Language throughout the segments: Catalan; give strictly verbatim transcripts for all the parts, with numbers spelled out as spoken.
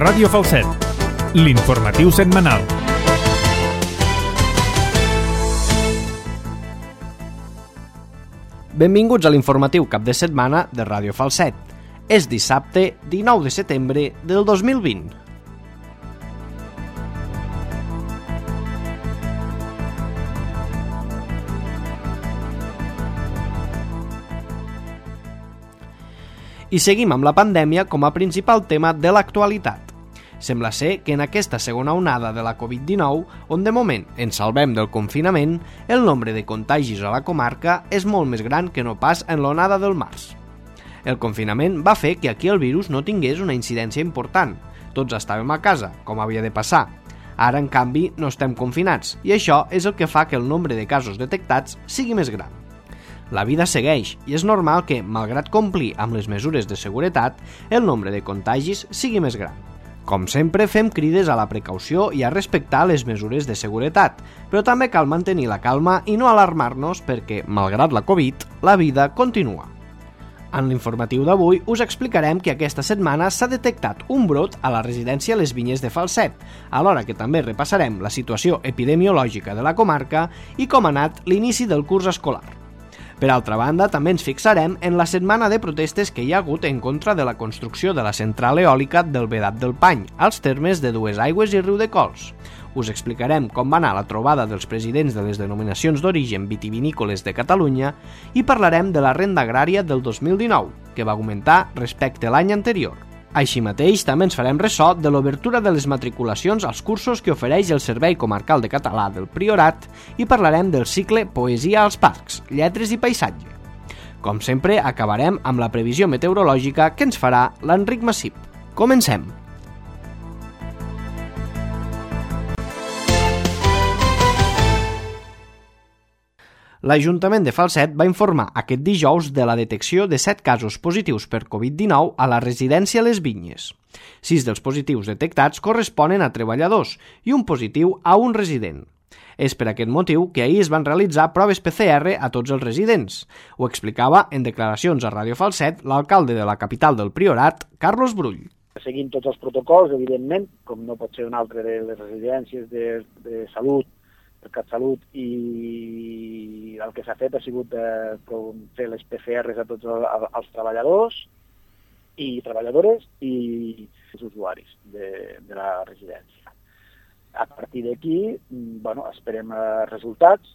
Ràdio Falset, l'informatiu setmanal. Benvinguts a l'informatiu cap de setmana de Ràdio Falset. És dissabte dinou de setembre del dos mil vint. I seguim amb la pandèmia com a principal tema de l'actualitat. Sembla ser que en aquesta segona onada de la covid dinou, on de moment ens salvem del confinament, el nombre de contagis a la comarca és molt més gran que no pas en l'onada del març. El confinament va fer que aquí el virus no tingués una incidència important. Tots estàvem a casa, com havia de passar. Ara, en canvi, no estem confinats, i això és el que fa que el nombre de casos detectats sigui més gran. La vida segueix i és normal que, malgrat complir amb les mesures de seguretat, el nombre de contagis sigui més gran. Com sempre, fem crides a la precaució i a respectar les mesures de seguretat, però també cal mantenir la calma i no alarmar-nos perquè, malgrat la Covid, la vida continua. En l'informatiu d'avui us explicarem que aquesta setmana s'ha detectat un brot a la residència Les Vinyes de Falset, alhora que també repassarem la situació epidemiològica de la comarca i com ha anat l'inici del curs escolar. Per altra banda, també ens fixarem en la setmana de protestes que hi ha hagut en contra de la construcció de la central eòlica del Vedat del Pany, als termes de Duesaigües i Riudecols. Us explicarem com va anar la trobada dels presidents de les denominacions d'origen vitivinícoles de Catalunya i parlarem de la renda agrària del dos mil dinou, que va augmentar respecte a l'any anterior. Així mateix, també ens farem ressò de l'obertura de les matriculacions als cursos que ofereix el Servei Comarcal de Català del Priorat i parlarem del cicle Poesia als Parcs, Lletres i Paisatge. Com sempre, acabarem amb la previsió meteorològica que ens farà l'Enric Massip. Comencem! L'Ajuntament de Falset va informar aquest dijous de la detecció de set casos positius per covid dinou a la residència Les Vinyes. Sis dels positius detectats corresponen a treballadors i un positiu a un resident. És per aquest motiu que ahir es van realitzar proves P C R a tots els residents. Ho explicava en declaracions a Ràdio Falset l'alcalde de la capital del Priorat, Carlos Brull. Seguint tots els protocols, evidentment, com no pot ser un altre de les residències de, de salut, el CatSalut, i el que s'ha fet ha sigut eh, fer les P C Rs a tots els treballadors i treballadores i els usuaris de, de la residència. A partir d'aquí, bueno, esperem eh, resultats.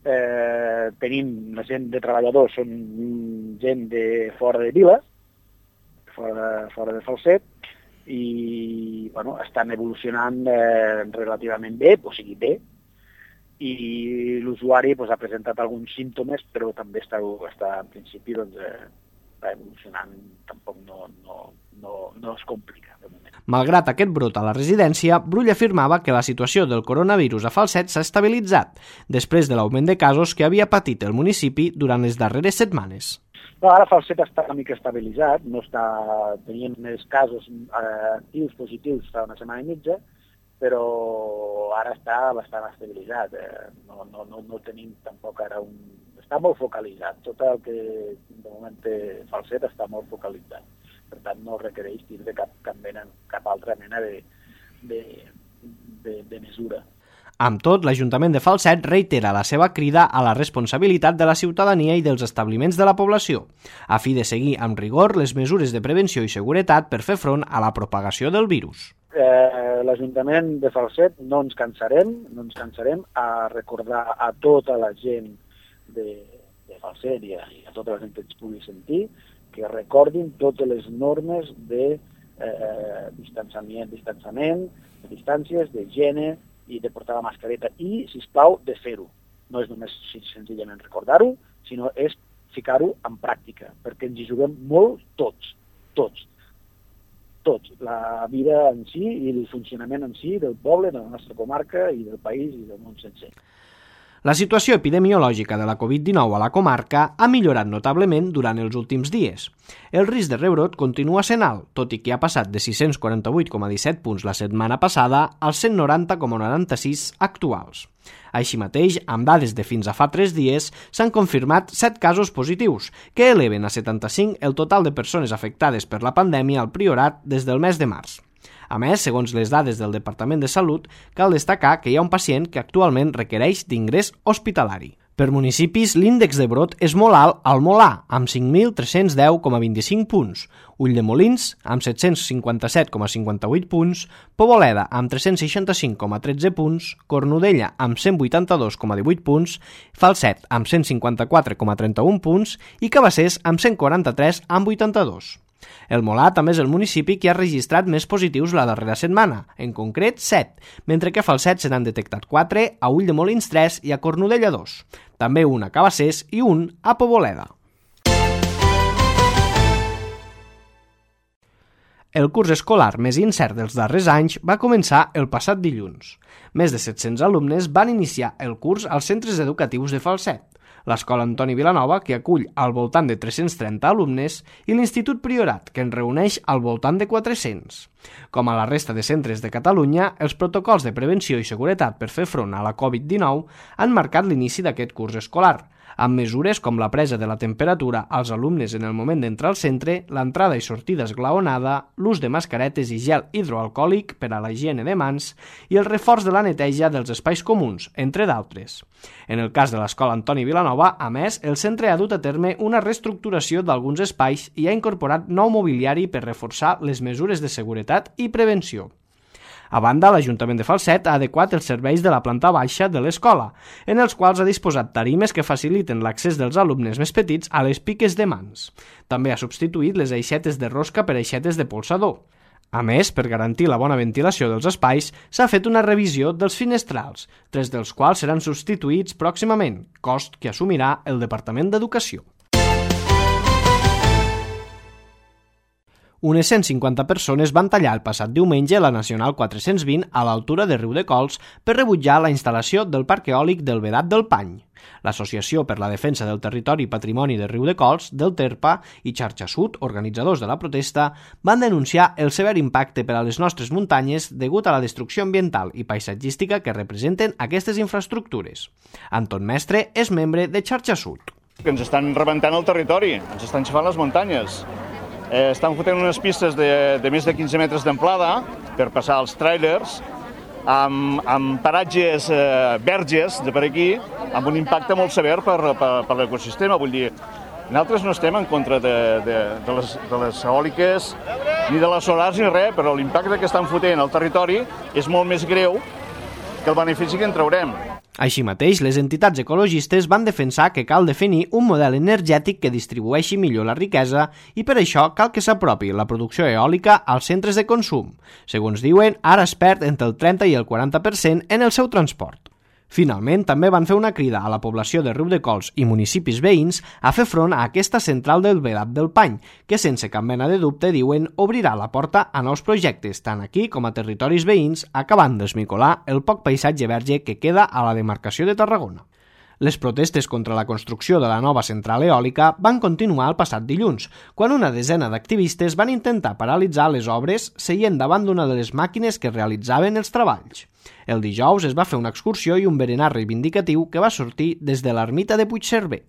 Eh, tenim la gent de treballadors, són gent de fora de Vila, fora de, fora de Falset, i bueno, estan evolucionant eh, relativament bé, o sigui bé, i l'usuari pues, ha presentat alguns símptomes, però també està, està en principi doncs, eh, està evolucionant, tampoc no, no, no, no es complica de moment. Malgrat aquest brot a la residència, Brull afirmava que la situació del coronavirus a Falset s'ha estabilitzat, després de l'augment de casos que havia patit el municipi durant les darreres setmanes. No, ara Falset està una mica estabilitzat, no està, teníem més casos eh, actius, positius, fa una setmana i mitja, però ara està bastant estabilitzat, eh? no, no, no, no tenim tampoc ara un... Està molt focalitzat, tot el que de moment té Falset està molt focalitzat, per tant no requereix tindre cap, cap, mena, cap altra mena de, de, de, de mesura. Amb tot, l'Ajuntament de Falset reitera la seva crida a la responsabilitat de la ciutadania i dels establiments de la població, a fi de seguir amb rigor les mesures de prevenció i seguretat per fer front a la propagació del virus. Eh, L'Ajuntament de Falset no ens cansarem, no ens cansarem a recordar a tota la gent de, de Falset i a, i a tota la gent que ens pugui sentir que recordin totes les normes de eh, distanciament, distanciament, de distàncies, d'higiene i de portar la mascareta i, sisplau, de fer-ho. No és només senzillament recordar-ho, sinó és ficar-ho en pràctica, perquè ens hi juguem molt tots, tots. Tots, la vida en si i el funcionament en si del poble, de la nostra comarca i del país i del món sencer. La situació epidemiològica de la covid dinou a la comarca ha millorat notablement durant els últims dies. El risc de rebrot continua sent alt, tot i que ha passat de sis-cents quaranta-vuit coma disset punts la setmana passada als cent noranta coma noranta-sis actuals. Així mateix, amb dades de fins a fa tres dies, s'han confirmat set casos positius, que eleven a setanta-cinc el total de persones afectades per la pandèmia al Priorat des del mes de març. A més, segons les dades del Departament de Salut, cal destacar que hi ha un pacient que actualment requereix d'ingrés hospitalari. Per municipis, l'índex de brot és molt alt al Molar, amb cinc mil tres-cents deu coma vint-i-cinc punts, Ulldemolins, amb set-cents cinquanta-set coma cinquanta-vuit punts, Poboleda, amb tres-cents seixanta-cinc coma tretze punts, Cornudella, amb cent vuitanta-dos coma divuit punts, Falset, amb cent cinquanta-quatre coma trenta-un punts i Cabassers, amb cent quaranta-tres coma vuitanta-dos. El Molar també és el municipi que ha registrat més positius la darrera setmana, en concret set, mentre que a Falset se n'han detectat quatre, a Ulldemolins tres i a Cornudella dos. També un a Cabassers i un a Poboleda. El curs escolar més incert dels darrers anys va començar el passat dilluns. Més de set-cents alumnes van iniciar el curs als centres educatius de Falset, l'Escola Antoni Vilanova, que acull al voltant de tres-cents trenta alumnes, i l'Institut Priorat, que en reuneix al voltant de quatre-cents. Com a la resta de centres de Catalunya, els protocols de prevenció i seguretat per fer front a la covid dinou han marcat l'inici d'aquest curs escolar, amb mesures com la presa de la temperatura als alumnes en el moment d'entrar al centre, l'entrada i sortida esglaonada, l'ús de mascaretes i gel hidroalcohòlic per a la higiene de mans i el reforç de la neteja dels espais comuns, entre d'altres. En el cas de l'Escola Antoni Vilanova, a més, el centre ha dut a terme una reestructuració d'alguns espais i ha incorporat nou mobiliari per reforçar les mesures de seguretat i prevenció. A banda, l'Ajuntament de Falset ha adequat els serveis de la planta baixa de l'escola, en els quals ha disposat tarimes que faciliten l'accés dels alumnes més petits a les piques de mans. També ha substituït les aixetes de rosca per aixetes de polsador. A més, per garantir la bona ventilació dels espais, s'ha fet una revisió dels finestrals, tres dels quals seran substituïts pròximament, cost que assumirà el Departament d'Educació. Unes cent cinquanta persones van tallar el passat diumenge la Nacional quatre-cents vint a l'altura de Riudecols per rebutjar la instal·lació del parc eòlic del Vedat del Pany. L'Associació per la Defensa del Territori i Patrimoni de Riudecols, del Terpa i Xarxa Sud, organitzadors de la protesta, van denunciar el sever impacte per a les nostres muntanyes degut a la destrucció ambiental i paisatgística que representen aquestes infraestructures. Anton Mestre és membre de Xarxa Sud. Que ens estan rebentant el territori, ens estan xafant les muntanyes. Eh, estan fotent unes pistes de, de més de quinze metres d'amplada per passar els tràilers, amb, amb paratges eh, verges de per aquí, amb un impacte molt sever per, per, per l'ecosistema. Vull dir, nosaltres no estem en contra de, de, de, les, de les eòliques ni de les solars ni res, però l'impacte que estan fotent al territori és molt més greu que el benefici que en traurem. Així mateix, les entitats ecologistes van defensar que cal definir un model energètic que distribueixi millor la riquesa i per això cal que s'apropi la producció eòlica als centres de consum. Segons diuen, ara es perd entre el trenta i el quaranta per cent en el seu transport. Finalment, també van fer una crida a la població de Riudecols i municipis veïns a fer front a aquesta central del Vedat del Pany, que sense cap mena de dubte, diuen, obrirà la porta a nous projectes, tant aquí com a territoris veïns, acabant d'esmicolar el poc paisatge verge que queda a la demarcació de Tarragona. Les protestes contra la construcció de la nova central eòlica van continuar el passat dilluns, quan una desena d'activistes van intentar paralitzar les obres seient davant d'una de les màquines que realitzaven els treballs. El dijous es va fer una excursió i un berenar reivindicatiu que va sortir des de l'ermita de Puigcerver.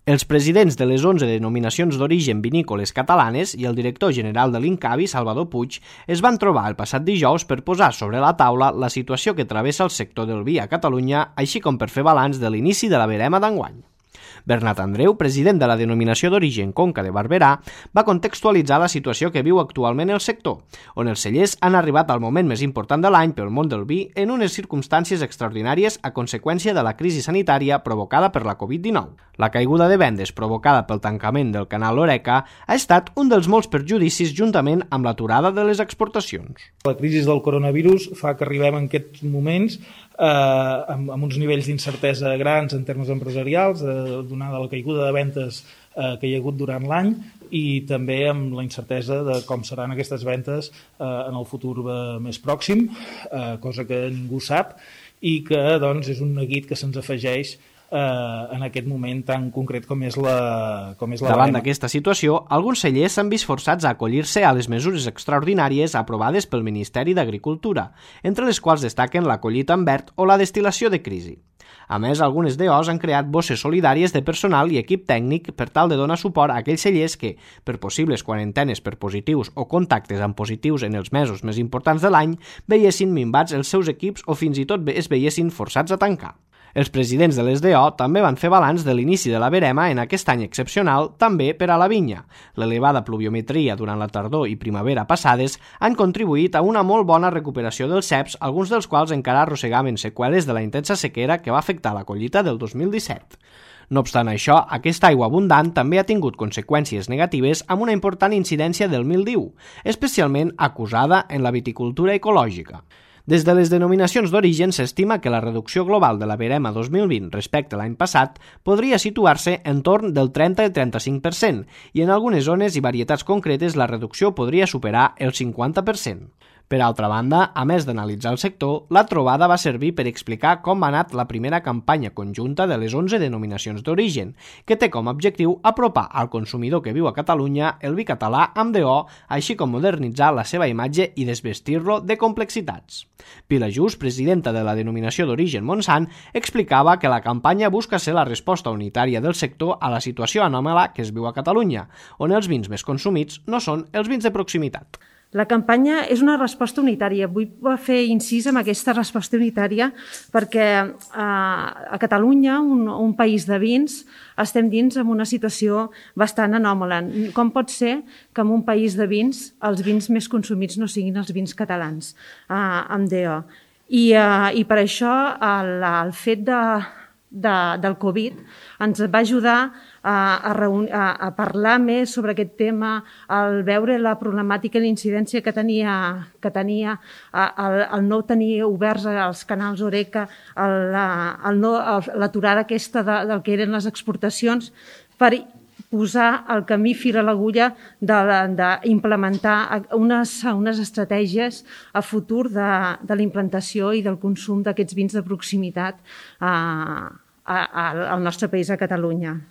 Els presidents de les onze denominacions d'origen vinícoles catalanes i el director general de l'Incavi, Salvador Puig, es van trobar el passat dijous per posar sobre la taula la situació que travessa el sector del vi a Catalunya, així com per fer balanç de l'inici de la verema d'enguany. Bernat Andreu, president de la denominació d'origen Conca de Barberà, va contextualitzar la situació que viu actualment el sector, on els cellers han arribat al moment més important de l'any pel món del vi en unes circumstàncies extraordinàries a conseqüència de la crisi sanitària provocada per la covid dinou. La caiguda de vendes provocada pel tancament del canal Horeca ha estat un dels molts perjudicis juntament amb l'aturada de les exportacions. La crisi del coronavirus fa que arribem en aquests moments eh, amb, amb uns nivells d'incertesa grans en termes empresarials, eh, donada la caiguda de ventes eh, que hi ha hagut durant l'any i també amb la incertesa de com seran aquestes ventes eh, en el futur eh, més pròxim, eh, cosa que ningú sap i que doncs, és un neguit que se'ns afegeix eh, en aquest moment tan concret com és la, com és la Davant barema. d'aquesta situació, alguns cellers s'han vist forçats a acollir-se a les mesures extraordinàries aprovades pel Ministeri d'Agricultura, entre les quals destaquen la collita en verd o la destil·lació de crisi. A més, algunes D Os han creat bosses solidàries de personal i equip tècnic per tal de donar suport a aquells cellers que, per possibles quarantenes per positius o contactes amb positius en els mesos més importants de l'any, veiessin minvats els seus equips o fins i tot es veiessin forçats a tancar. Els presidents de les D O també van fer balanç de l'inici de la verema en aquest any excepcional també per a la vinya. L'elevada pluviometria durant la tardor i primavera passades han contribuït a una molt bona recuperació dels ceps, alguns dels quals encara arrossegaven seqüeles de la intensa sequera que va afectar la collita del dos mil disset. No obstant això, aquesta aigua abundant també ha tingut conseqüències negatives amb una important incidència del mildiu, especialment acusada en la viticultura ecològica. Des de les denominacions d'origen s'estima que la reducció global de la verema dos mil vint respecte a l'any passat podria situar-se en torn del trenta al trenta-cinc per cent i en algunes zones i varietats concretes la reducció podria superar el cinquanta per cent. Per altra banda, a més d'analitzar el sector, la trobada va servir per explicar com ha anat la primera campanya conjunta de les onze denominacions d'origen, que té com a objectiu apropar al consumidor que viu a Catalunya el vi català amb D O, així com modernitzar la seva imatge i desvestir-lo de complexitats. Pilar Just, presidenta de la denominació d'origen Montsant, explicava que la campanya busca ser la resposta unitària del sector a la situació anòmala que es viu a Catalunya, on els vins més consumits no són els vins de proximitat. La campanya és una resposta unitària. Vull fer incís en aquesta resposta unitària perquè a Catalunya, un, un país de vins, estem dins en una situació bastant anòmala. Com pot ser que en un país de vins els vins més consumits no siguin els vins catalans eh, amb D O? I, eh, i per això el, el fet de, de, del Covid ens va ajudar A, a, reunir, a, a parlar més sobre aquest tema, al veure la problemàtica i la incidència que tenia, que tenia el, el no tenir oberts els canals Oreca, l'aturada aquesta de, del que eren les exportacions, per posar el camí fil a l'agulla d'implementar unes, unes estratègies a futur de, de la implantació i del consum d'aquests vins de proximitat a, a, a, al nostre país, a Catalunya.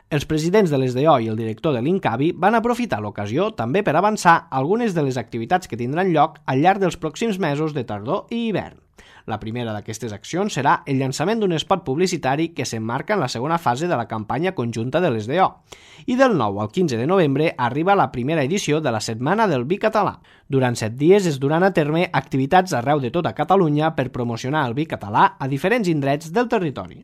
Els presidents de les D O i el director de l'Incavi van aprofitar l'ocasió també per avançar algunes de les activitats que tindran lloc al llarg dels pròxims mesos de tardor i hivern. La primera d'aquestes accions serà el llançament d'un espot publicitari que s'emmarca en la segona fase de la campanya conjunta de les D O. I del nou al quinze de novembre arriba la primera edició de la Setmana del Vi Català. Durant set dies es duran a terme activitats arreu de tota Catalunya per promocionar el vi català a diferents indrets del territori.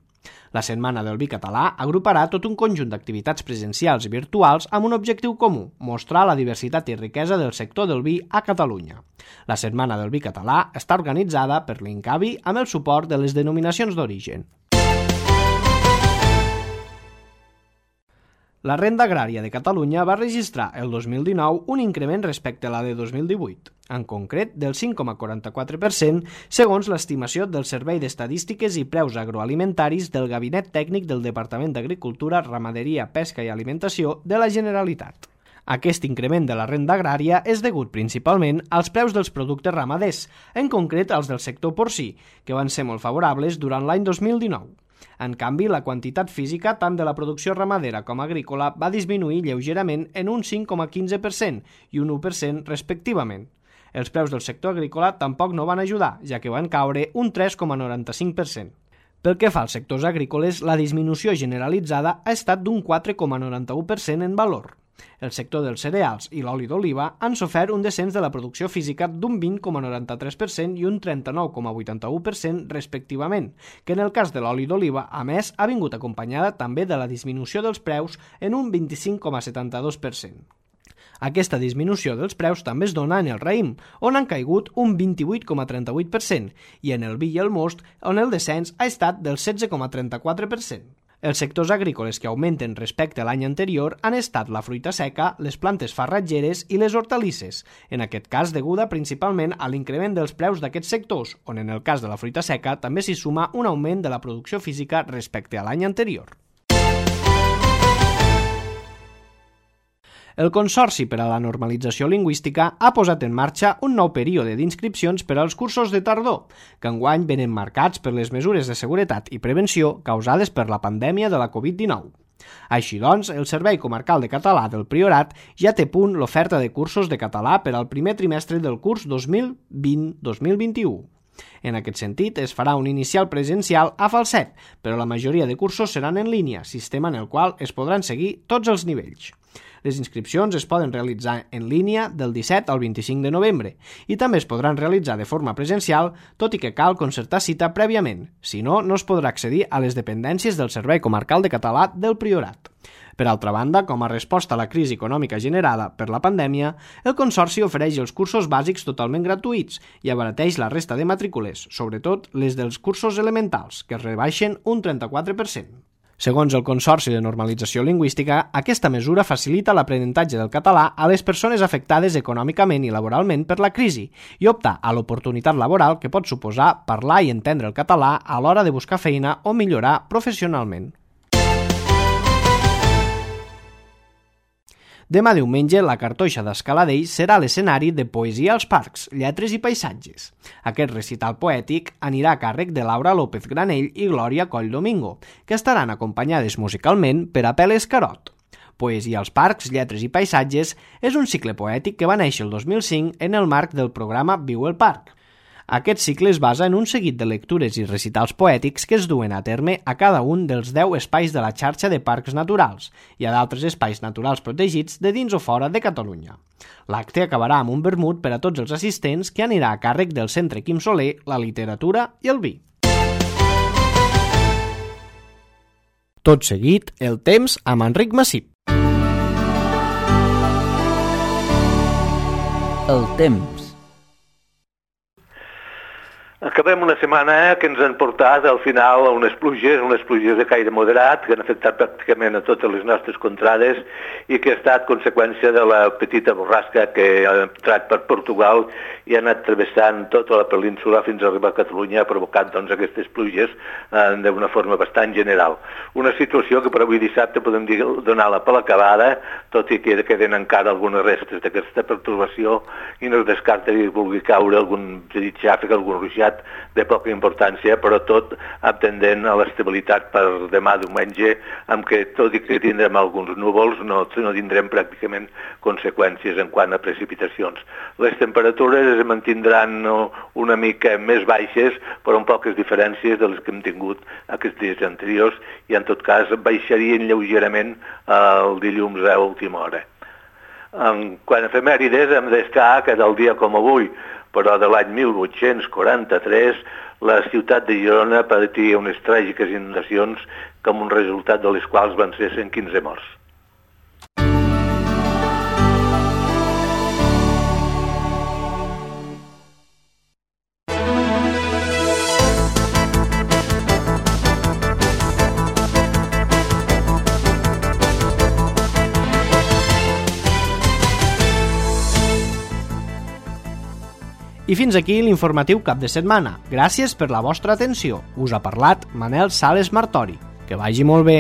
La Setmana del Vi Català agruparà tot un conjunt d'activitats presencials i virtuals amb un objectiu comú, mostrar la diversitat i riquesa del sector del vi a Catalunya. La Setmana del Vi Català està organitzada per l'Incavi amb el suport de les denominacions d'origen. La renda agrària de Catalunya va registrar el dos mil dinou un increment respecte a la de dos mil divuit, en concret del cinc coma quaranta-quatre per cent, segons l'estimació del Servei d'Estadístiques i Preus Agroalimentaris del Gabinet Tècnic del Departament d'Agricultura, Ramaderia, Pesca i Alimentació de la Generalitat. Aquest increment de la renda agrària és degut principalment als preus dels productes ramaders, en concret als del sector porcí, que van ser molt favorables durant l'any dos mil dinou. En canvi, la quantitat física tant de la producció ramadera com agrícola va disminuir lleugerament en un cinc coma quinze per cent i un u per cent respectivament. Els preus del sector agrícola tampoc no van ajudar, ja que van caure un tres coma noranta-cinc per cent. Pel que fa als sectors agrícoles, la disminució generalitzada ha estat d'un quatre coma noranta-u per cent en valor. El sector dels cereals i l'oli d'oliva han sofert un descens de la producció física d'un vint coma noranta-tres per cent i un trenta-nou coma vuitanta-u per cent respectivament, que en el cas de l'oli d'oliva, a més, ha vingut acompanyada també de la disminució dels preus en un vint-i-cinc coma setanta-dos per cent. Aquesta disminució dels preus també es dona en el raïm, on han caigut un vint-i-vuit coma trenta-vuit per cent, i en el vi i el most, on el descens ha estat del setze coma trenta-quatre per cent. Els sectors agrícoles que augmenten respecte a l'any anterior han estat la fruita seca, les plantes farratgeres i les hortalisses, en aquest cas deguda principalment a l'increment dels preus d'aquests sectors, on en el cas de la fruita seca també s'hi suma un augment de la producció física respecte a l'any anterior. El Consorci per a la Normalització Lingüística ha posat en marxa un nou període d'inscripcions per als cursos de tardor, que enguany venen marcats per les mesures de seguretat i prevenció causades per la pandèmia de la covid dinou. Així doncs, el Servei Comarcal de Català del Priorat ja té a punt l'oferta de cursos de català per al primer trimestre del curs dos mil vint dos mil vint-i-u. En aquest sentit, es farà un inicial presencial a Falset, però la majoria de cursos seran en línia, sistema en el qual es podran seguir tots els nivells. Les inscripcions es poden realitzar en línia del disset al vint-i-cinc de novembre i també es podran realitzar de forma presencial, tot i que cal concertar cita prèviament. Si no, no es podrà accedir a les dependències del Servei Comarcal de Català del Priorat. Per altra banda, com a resposta a la crisi econòmica generada per la pandèmia, el Consorci ofereix els cursos bàsics totalment gratuïts i abarateix la resta de matrícules, sobretot les dels cursos elementals, que es rebaixen un trenta-quatre per cent. Segons el Consorci de Normalització Lingüística, aquesta mesura facilita l'aprenentatge del català a les persones afectades econòmicament i laboralment per la crisi i opta a l'oportunitat laboral que pot suposar parlar i entendre el català a l'hora de buscar feina o millorar professionalment. Demà diumenge, la Cartoixa d'Escaladell serà l'escenari de Poesia als Parcs, Lletres i Paisatges. Aquest recital poètic anirà a càrrec de Laura López Granell i Glòria Coll Domingo, que estaran acompanyades musicalment per Apel·les Carot. Poesia als Parcs, Lletres i Paisatges és un cicle poètic que va néixer el dos mil cinc en el marc del programa Viu el Parc. Aquest cicle es basa en un seguit de lectures i recitals poètics que es duen a terme a cada un dels deu espais de la xarxa de parcs naturals i a d'altres espais naturals protegits de dins o fora de Catalunya. L'acte acabarà amb un vermut per a tots els assistents que anirà a càrrec del Centre Quim Soler, la literatura i el vi. Tot seguit, el temps amb Enric Massip. El temps. Acabem una setmana que ens han portat al final a unes pluges, unes pluges de caire moderat que han afectat pràcticament a totes les nostres contrades i que ha estat conseqüència de la petita borrasca que ha entrat per Portugal i ha anat travessant tota la península fins a arribar a Catalunya, provocant doncs, aquestes pluges eh, d'una forma bastant general. Una situació que per avui dissabte podem dir donar-la per l'acabada, tot i que queden encara algunes restes d'aquesta pertorbació i no es descarta que vulgui caure algun petit xàfec, algun ruixat de poca importància, però tot atendent a l'estabilitat per demà diumenge, amb què tot i que tindrem alguns núvols, no, no tindrem pràcticament conseqüències en quant a precipitacions. Les temperatures es mantindran una mica més baixes, però amb poques diferències de les que hem tingut aquests dies anteriors, i en tot cas baixarien lleugerament el dilluns a última hora. En quant a efemèrides, hem d'estar que del dia com avui, però de l'any mil vuit-cents quaranta-tres, la ciutat de Girona patia unes tràgiques inundacions com un resultat de les quals van ser cent quinze morts. I fins aquí l'informatiu cap de setmana. Gràcies per la vostra atenció. Us ha parlat Manel Sales Martori. Que vagi molt bé.